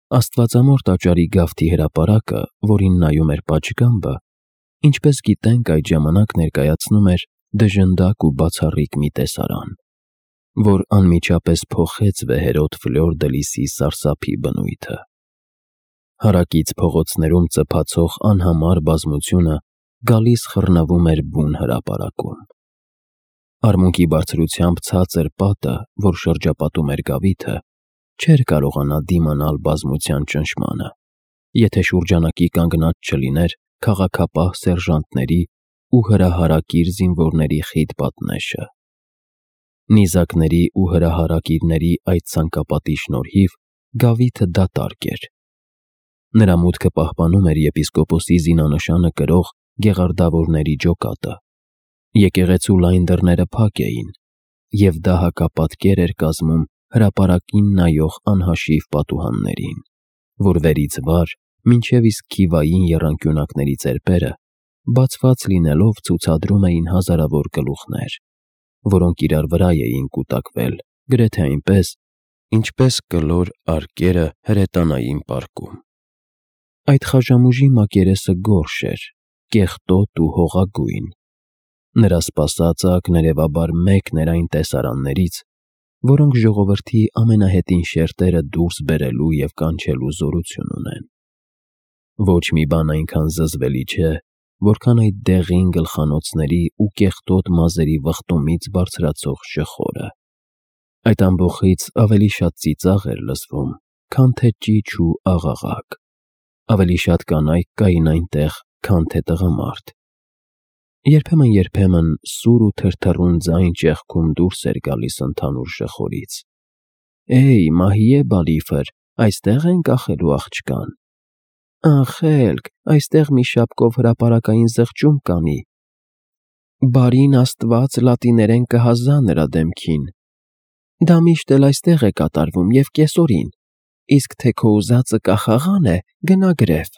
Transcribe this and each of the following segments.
Աստվածամոր տաճարի գավթի հրապարակը, որին նայում էր պատշգամբը, ինչպես գիտենք, այդ ժամանակ ներկայացնում էր դժնդակ ու բացառիկ մի տեսարան, որ անմիջապես փոխեց վեհերոտ Ֆլյոր դե Լիսի սարսափի բնույթը։ Հարակից փողոցներում ծփացող անհամար բազմությունը գալիս խռնվում էր բուն հրապարակում։ Արմունկի բարձրությամբ ցածր պատը, որ շրջապատում էր գավիթը, չէր կարողանա դիմանալ բազմության ճնշմանը, եթե շուրջանակի կանգնած չլիներ քաղաքապահ սերժանտների ու հրահարակիր զինվորների խիտ պատնեշը։ Նիզակների ու հրահարակիրների այդ ցանկապատի շնորհիվ գավիթը դատարկ էր։ Նրա մուտքը պահպանում էր եպիսկոպոսի զինանշանը կրող գեղարդավորների ջոկատը։ Եկեղեցու լայն դռները փակ էին, և դա հակապատկեր էր կազմում հրապարակին նայող անհաշիվ պատուհաններին, որ վերից վար մինչև իսկ քիվային եռանկյունակների ծեպերը, բացված լինելով, ցուցադրում էին հազարավոր գլուխներ, որոնք իրար վրա էին կուտակվել, գրեթե այնպես, ինչպես կլոր արկերը հրետանային պարկում։ Այդ խաժամուժի մակերեսը գորշ էր, կեղտոտ ու հողագույն։ Նրա սպասածը ակներևաբար մեկն էր այն տեսարաններից, որոնք ժողովրդի ամենահետին շերտերը դուրս բերելու և կանչելու զորություն ունեն։ Ոչ մի բան այնքան զզվելի չէ, որքան այդ դեղին գլխանոցների ու կեղտոտ մազերի վխտումից բարձրացող շխորը։ Այդ ամբոխից ավելի շատ ծիծաղ էր լսվում, քան թե ճիչ ու աղաղակ, ավելի շատ կանայք կային այնտեղ, քան թե տղամարդ։ Երբեմն սուր ու թրթռուն ձայն ճեղքում դուրս էր գալիս ընդհանուր շխորից. «Էյ, Մահիե Բալիֆր, այստեղ են կախելու աղջկան»։ «Անխելք, այստեղ մի շապկով հրապարակային զղջում կանի»։ «Բարին Աստված լատիներեն կհազա նրա դեմքին»։ «Դա միշտ էլ այստեղ է կատարվում և կեսօրին, իսկ թե քո ուզածը կախաղան է, գնա գրև»։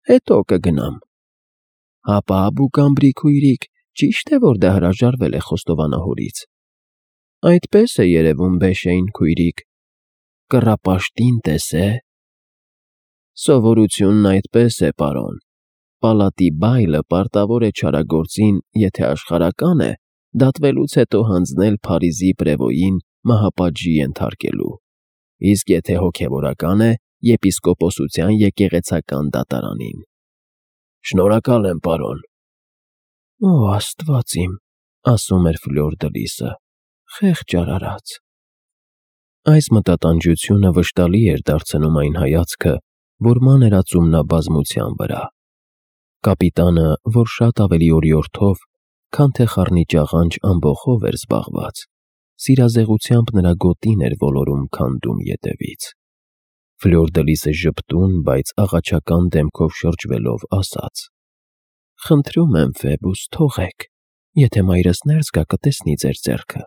«Հետո կգնամ»։ «Հապա Աբուկամբրի քույրիկ, ճի՞շտ է, որ դա հրաժարվել է խոստովանահորից»։ «Այդպես է երևում, Բեշեյն քույրիկ»։ «Կռապաշտին տեսե՞։ Սովորությունն այդպես է, պարոն։ Պալատի բայլը պարտավոր է չարագործին, եթե աշխարհական է, դատվելուց հետո հանձնել Փարիզի պրևոյին մահապատժի ենթարկելու, իսկ եթե հոգևորական է, եպիսկոպոսության եկեղեցական դատարանին»։ «Շնորհակալ եմ, պարոն»։ «Օ Աստված իմ», ասում էր Ֆլյոր դը Լիսը, «խեղճ արարած»։ Այս մտատանջությունը վշտալի էր դարձնում այն հայացքը, որ մաներածում նա բազմության վրա։ Կապիտանը, որ շատ ավելի օրիորդով, քան թե խառնիճաղանճ ամբոխով էր զբաղված, սիրազեղությամբ նրա գոտին էր ոլորում քանդում ետևից։ Ֆլյոր դը Լիսը ժպտուն, բայց աղաչական դեմքով շրջվելով ասաց. «Խնդրում եմ, Ֆեբուս, թողեք, եթե մայրս ներս գա, կտեսնի ձեր ձեռքը»։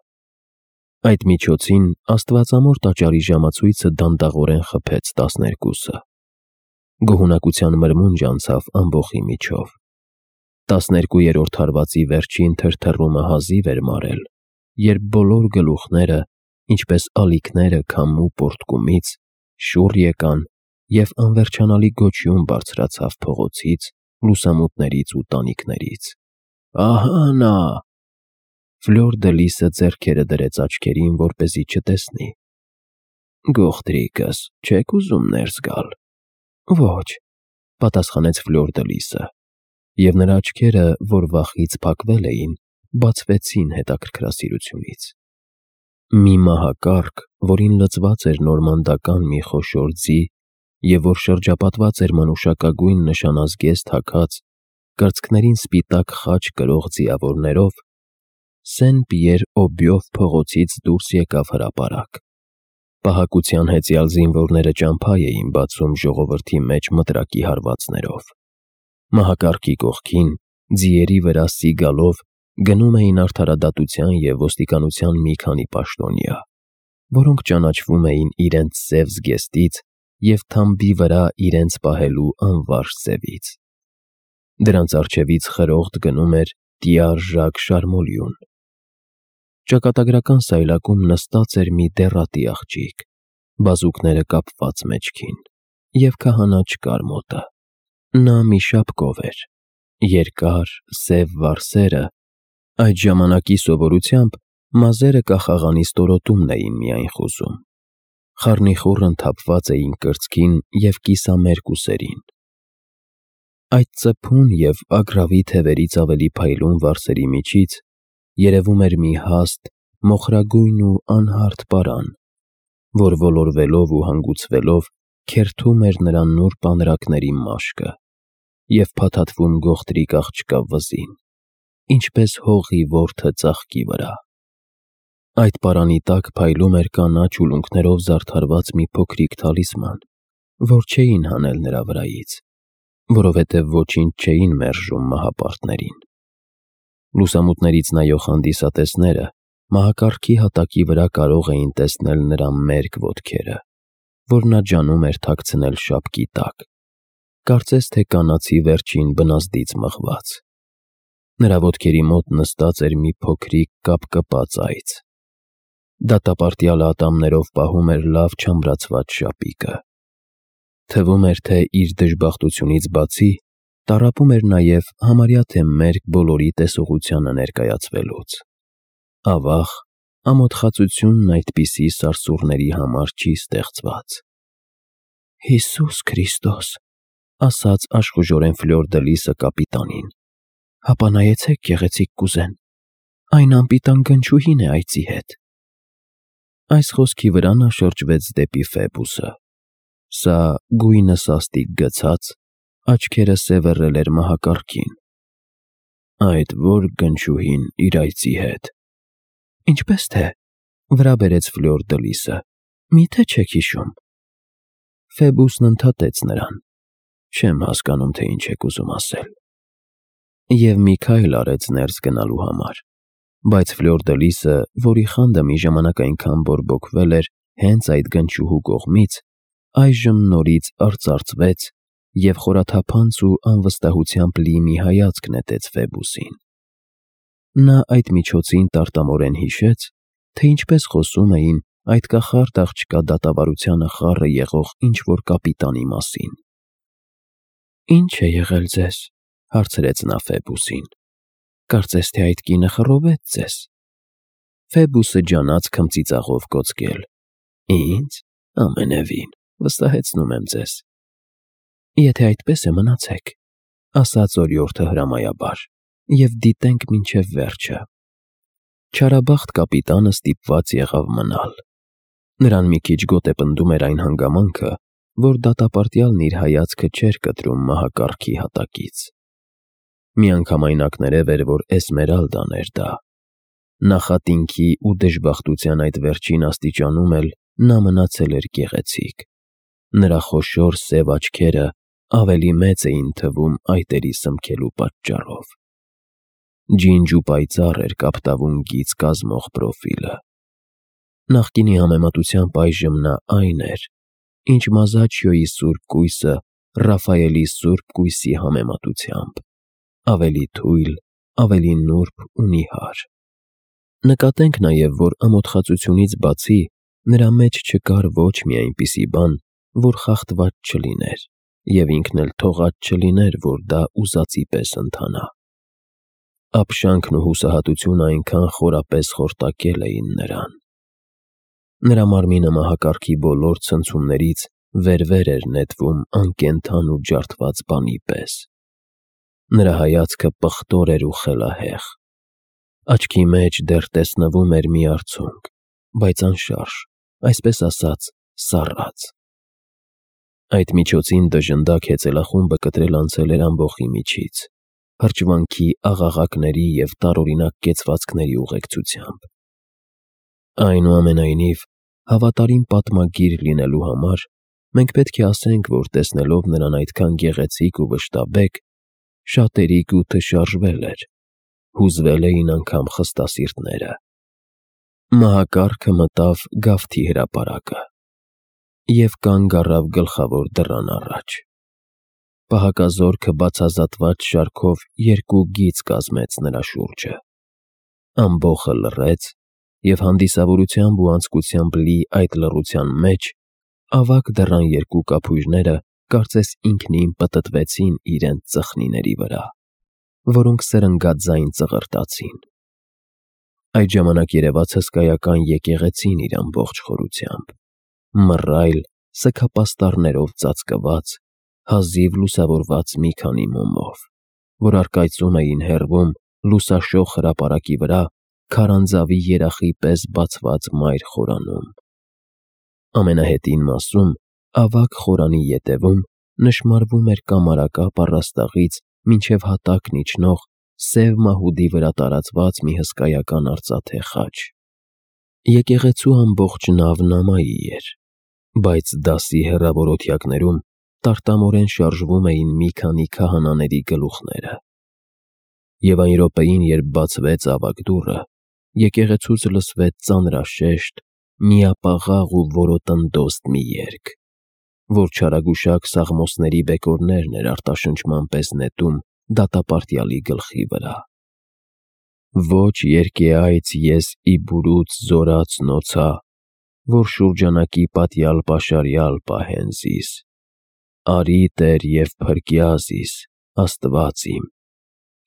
Այդ միջոցին աստվածամոր տաճարի ժամացույցը դանդաղորեն խփեց 12-ը։ Գոհունակության մրմունջ անցավ ամբոխի միջով։ 12-րդ հարվածի վերջին թրթռումը հազիվ էր մարել, երբ բոլոր գլուխները, ինչպես ալիքները քամու պոռթկումից, շուռ եկան, և անվերջանալի գոչյուն բարձրացավ փողոցից, լուսամուտներից ու տանիքներից. «Ահա նա»։ Ֆլյոր դը Լիսը ձեռքերը դրեց աչքերին, որպեսզի չտեսնի։ «Գողտրիկս, չեք ուզում ներս գալ»։ «Ոչ», պատասխանեց Ֆլյոր դը Լիսը, և նրա աչքերը, որ վախից փակվել էին, բացվեցին հետաքրքրասիրությունից։ Մի մահակառք, որին լցված էր նորմանդական մի խոշոր ձի, և որ շրջապատված էր մանուշակագույն նշանազգեստ հագած, կրծքներին սպիտակ խաչ կրող ձիավորներով, Սեն-Պիեր-Օբյով փողոցից դուրս եկավ հրապարակ։ Պահակության հեծյալ զինվորները ճամփա էին բացում ժողովրդի մեջ մտրակի հարվածներով։ Մահակառքի կողքին, ձիերի վրա սիգալով, գնում էին արդարադատության և ոստիկանության մի քանի պաշտոնյա, որոնք ճանաչվում էին իրենց սև զգեստից և թամբի վրա իրենց պահելու անվարժ սևից։ Դրանց առջևից խրոխտ գնում էր Տյար Ժակ Շարմոլյուն։ Ճակատագրական սայլակում նստած էր մի դեռատի աղջիկ, բազուկները կապված մեջքին, և քահանա չկար մոտը։ Նա մի շապկով էր, երկար, սև վարսերը, այդ ժամանակի սովորությամբ մազերը կախաղանի ստորոտումն էին միայն խուզում, խառնիխուռն թափված էին կրծքին և կիսամերկ ուսերին։ Այդ ծփուն և ագռավի թևերից ավելի փայլուն վարսերի միջից երևում էր մի հաստ, մոխրագույն ու անհարթ պարան, որ ոլորվելով ու հանգուցվելով քերթում էր նրա նուրբ անրակների մաշկը և փաթաթվում գողտրիկ աղջկա վզին, ինչպես հողի որդը ծաղկի վրա։ Այդ պարանի տակ փայլում էր կանաչ ուլունքներով զարդարված մի փոքրիկ թալիսման, որ չէին հանել նրա վրայից, որովհետև ոչինչ չէին մերժում մահապարտներին։ Լուսամուտներից նայող հանդիսատեսները մահակարգի հատակի վրա կարող էին տեսնել նրա մերկ ոտքերը, որ նա ջանում էր թաքցնել շապկի տակ, կարծես թե կանացի վերջին բնազդից մղված։ Նրա ոտքերի մոտ նստած էր մի փոքրիկ կապկպած այծ։ Դատապարտյալը ատամներով պահում էր լավ չամրացված շապիկը։ Թվում էր, թե իր դժբախտությունից բացի տառապում էր նաև համարյա թե մերկ բոլորի տեսողությանը ներկայացվելուց։ Ավաղ, ամոթխածությունն այդպիսի սարսուռների համար չի ստեղծված։ «Հիսուս Քրիստոս», ասաց աշխուժորեն Ֆլյոր դը Լիսը կապիտանին, «հապա նայեցեք գեղեցիկ կուզեն, այն անպիտան գնչուհին է այծի հետ»։ Այս խոսքի վրա նա շրջվեց դեպի Ֆեբուսը։ Սա գույնը սաստիկ գցած, աչքերը սևեռել էր մահակարգին։ «Այդ ո՞ր գնչուհին իր այծի հետ»։ «Ինչպես թե», վրա բերեց Ֆլյոր դը Լիսը, «միթե չեք հիշում»։ Ֆեբուսն ընդհատեց նրան. «Չեմ հասկանում, թե ինչ եք ուզում ասել»։ Եվ մի քայլ արեց ներս գնալու համար, բայց Ֆլյոր դը Լիսը, որի խանդը մի ժամանակ այնքան բորբոքվել էր հենց այդ գնչուհու կողմից, այժմ նորից արծարծվեց և խորաթափանց ու անվստահությամբ լի մի հայացք նետեց Ֆեբուսին։ Նա այդ միջոցին տարտամորեն հիշեց, թե ինչպես խոսում էին այդ կախարդ աղջկա դատավարությանը խառը եղող ինչ-որ կապիտանի մասին։ «Ինչ է եղել ձեզ», հարցրեց նա Ֆեբուսին, «կարծես թե այդ կինը խռովեց ձեզ»։ Ֆեբուսը ջանաց քմծիծաղով կոծկել. «Ինձ, ամենևին, վստահեցնում եմ ձեզ»։ «Եթե այդպես է, մնացեք», ասաց օրիորդը հրամայաբար, «և դիտենք մինչև վերջը»։ Չարաբախտ կապիտանը ստիպված եղավ մնալ։ Նրան մի քիչ գոտ է պնդում էր այն հանգամանքը, որ դատապարտյալն իր հայացքը չէր կտրում մահակարգի հատակից։ Միանգամայն էր, որ Էսմերալդան էր դա։ Նախատինքի ու դժբախտության այդ վերջին աստիճանում էլ նա մնացել էր գեղեցիկ։ Նրա խոշոր սև աչքերը ավելի մեծ էին թվում այտերի սմքելու պատճառով։ Ջինջ ու պայծառ էր կապտավուն գիծ կազմող պրոֆիլը։ Նախկինի համեմատությամբ այժմ նա այն էր, ինչ Մազաչիոյի սուրբ կույսը Ռաֆայելի սուրբ կույսի համեմատությամբ, ավելի թույլ, ավելի նուրբ ու նիհար։ Նկատենք նաև, որ ամոթխածությունից բացի նրա մեջ չկար ոչ մի այնպիսի բան, որ խախտված չլիներ, և ինքն էլ թողած չլիներ, որ դա ուզածի պես ընթանա։ Ապշանքն ու հուսահատությունը այնքան խորապես խորտակել էին նրան։ Նրա մարմինը մահակարգի բոլոր ցնցումներից վեր-վեր էր նետվում անկենդան ու ջարդված բանի պես։ Նրա հայացքը պղտոր էր ու խելահեղ։ Աչքի մեջ դեռ տեսնվում էր մի արցունք, բայց անշարժ, այսպես ասած, սառած։ Այդ միջոցին դժնդակ հեծելախումբը կտրել անցել էր ամբոխի միջից, հրճվանքի աղաղակների և տարօրինակ կեցվածքների ուղեկցությամբ։ Այնուամենայնիվ, հավատարիմ պատմագիր լինելու համար մենք պետք է ասենք, որ տեսնելով նրան այդքան գեղեցիկ ու վշտաբեկ, շատերիկ ու թշարժվել էր, հուզվել էին անգամ խստասիրտները։ Մահակարգը մտավ գավթի հրապարակը և կանգ առավ գլխավոր դռան առաջ։ Պահակազորքը բացազատված շարքով երկու գիծ կազմեց նրա շուրջը։ Ամբոխը լռեց, և հանդիսավորությամբ ու անձկությամբ լի այդ լռության մեջ ավագ դռան երկու կափույրները կարծես ինքնին պտտվեցին իրենց ծխնիների վրա, որոնք սրընգած ձայն ծղրտացին։ Այդ ժամանակ երևաց հսկայական եկեղեցին իր ամբողջ խորությամբ, մռայլ սգապաստառներով ծածկված, հազիվ լուսավորված մի քանի մոմով, որ առկայծում էին հեռվում լուսաշող հրապարակի վրա քարանձավի երախի պես բացված մայր խորանում։ Ամենահետին մասում, ավագ խորանի ետևում, նշմարվում էր կամարակապ առաստաղից մինչև հատակն իջնող սև մահուդի վրա տարածված մի հսկայական արծաթե խաչ։ Եկեղեցու ամբողջ նավն ամայի էր, բայց դասի հեռավոր օթյակներում տարտամորեն շարժվում էին մի քանի քահանաների գլուխները։ Եվ այն րոպեին, երբ բացվեց ավագ դուռը, եկեղեցուց լսվեց ծանրաշեշտ, միապաղաղ ու որոտնդոստ մի երգ, որ չարագուշակ սաղմոսների բեկորներն էր արտաշնչման պես նետում դատապարտյալի գլխի վրա։ Ոչ երկեայց ես իբուրուց զորաց նոցա, որ շուրջանակի պատյալ պաշարյալ պահեն զիս, արի Տեր և փրկյա զիս, Աստված իմ,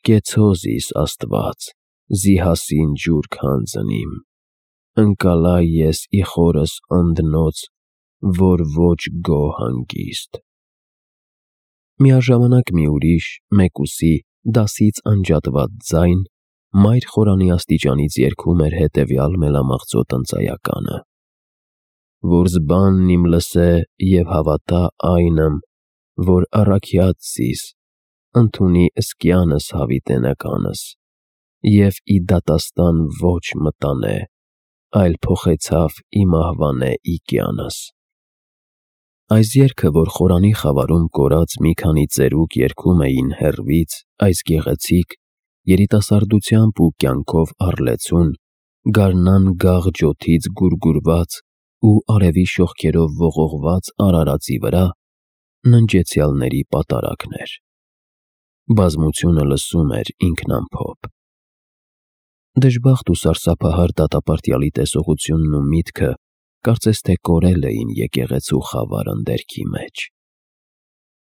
կեցո զիս Աստված, զիհասին ջուր քանձնիմ, ընկալա ես իխորս ընդնոց, որ ոչ գո հանգիստ։ Միաժամանակ մի ուրիշ, մեկուսի, դասից անջատված ձայն մայր խորանի աստիճանից երգում էր հետևյալ մելամաղձոտ ընծայականը. որ զբանն իմ լսե և հավատա այնմ, որ առաքյաց զիս, ընդունի ըսկյանս հավիտենականս, և ի դատաստան ոչ մտանե, այլ փոխեցավ ի մահվանե իկյանս։ Այս երգը, որ խորանի խավարում կորած մի քանի ծերուկ երգում էին հեռվից, այս գեղեցիկ, երիտասարդությամբ ու կյանքով առլեցուն, գարնան գաղ ջոթից գուրգուրված ու արևի շողքերով ողողված արարածի վրա, ննջեցյալների պատարագն էր։ Բազմությունը լսում էր ինքնամփոփ։ Դժբախտ ու սարսափահար դատապարտյալի տեսողությունն ու միտքը կարծես թե կորել էին եկեղեցու խավար ընդերքի մեջ։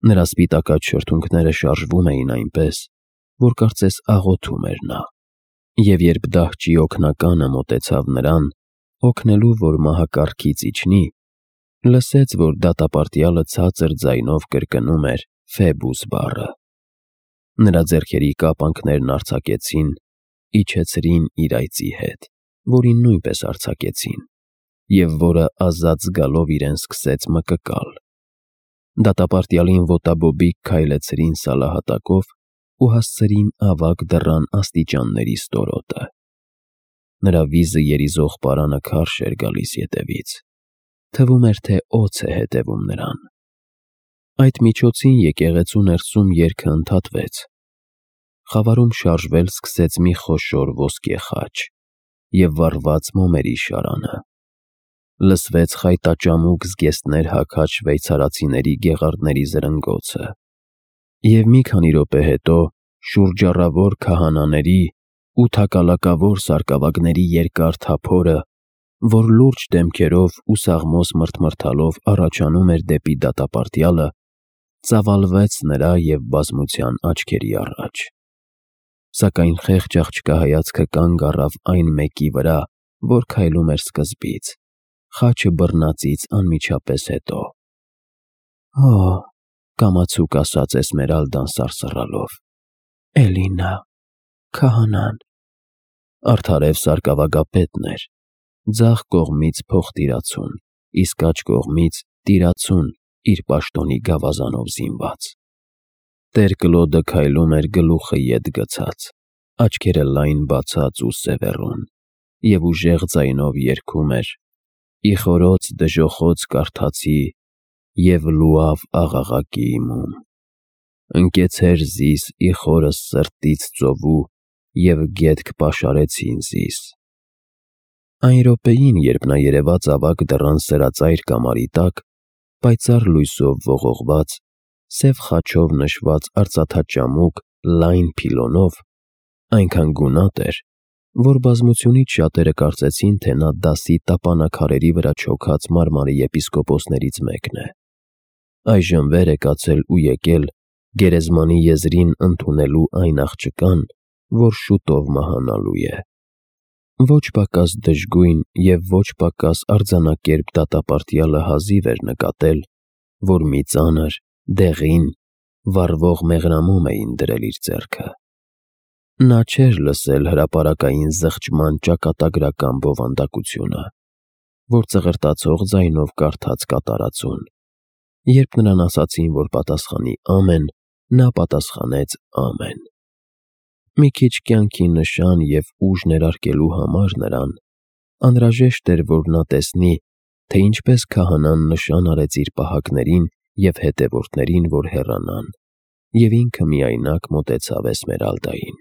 Նրա սպիտակած շրթունքները շարժվում էին այնպես, որ կարծես աղոթում էր նա, և երբ դահճի օգնականը մոտեցավ նրան, օգնելու, որ մահակառքից իջնի, լսեց, որ դատապարտյալը ցածր ձայնով կրկնում էր Ֆեբուս բառը։ Նրա ձեռքերի կապանքներն արձակեցին, իջեցրին իր այծի հետ, որին նույնպես արձակեցին, և որը ազատ զգալով իրեն սկսեց մկկալ։ Դատապարտյալին ոտաբոբիկ քայլեցրին սալահատակով ու հասցրին ավագ դռան աստիճանների ստորոտը։ Նրա վիզը երիզող պարանը քարշ էր գալիս ետևից, թվում էր, թե օձ է հետևում նրան։ Այդ միջոցին եկեղեցու ներսում երգը ընդհատվեց։ Խավարում շարժվել սկսեց մի խոշոր ոսկե խաչ և վառված մոմերի շարանը։ Լսվեց խայտաճամուկ զգեստներ հագած շվեյցարացիների գեղարդների զրնգոցը, և մի քանի րոպե հետո շուրջառավոր քահանաների ու թակալակավոր սարկավագների երկար թափորը, որ լուրջ դեմքերով ու սաղմոս մրթմրթալով առաջանում էր դեպի դատապարտյալը, ծավալվեց նրա և բազմության աչքերի առաջ։ Սակայն խեղճ աղջկա հայացքը կանգ առավ այն մեկի վրա, որ քայլում էր սկզբից, խաչը բռնածից անմիջապես հետո։ «Օ՜», կամացուկ ասաց Էսմերալդան սարսռալով, «էլի նա, քահանան»։ Արդարև սարկավագապետն էր, ձախ կողմից փոխտիրացուն, իսկ աջ կողմից տիրացուն իր պաշտոնի գավազանով զինված։ Տեր Կլոդը քայլում էր գլուխը ետ գցած, աչքերը լայն բացած ու սևեռուն, և ուժեղ ձայնով երգում էր. «Իխորոց դժոխոց կարդացի և լուավ աղաղակի իմում, ընկեցեր զիս իխորս սրտից ծովու և գետք պաշարեցին զիս»։ Այն րոպեին, երբ նա երևաց ավագ դռան սրածայր կամարի տակ, պայծառ լույսով ողողված, սև խաչով նշված արծաթաճամուկ լայն փիլոնով, այնքան գունատ էր, որ բազմությունից շատերը կարծեցին, թե նա դասի տապանաքարերի վրա չոքած մարմարի եպիսկոպոսներից մեկն է։ Այժմ վեր է կացել ու եկել գերեզմանի եզրին ընդունելու այն աղջկան, որ շուտով մահանալու է։ Ոչ պակաս դժգույն և ոչ պակաս արձանակերպ դատապարտյալը հազիվ էր նկատել, որ մի ծանր, դեղին, վառվող մեղրամոմ էին դրել իր ձեռքը։ Նա չէր լսել հրապարակային զղջման ճակատագրական բովանդակությունը, որ ծղրտացող ձայնով կարդաց կատարածուն։ Երբ նրան ասացին, որ պատասխանի ամեն, նա պատասխանեց ամեն։ Մի քիչ կյանքի նշան և ուժ ներարկելու համար նրան անհրաժեշտ էր, որ նա տեսնի, թե ինչպես քահանան նշան արեց իր պահակներին և հետևորդներին, որ հեռանան, և ինքը միայնակ մոտեցավ Էսմերալդային։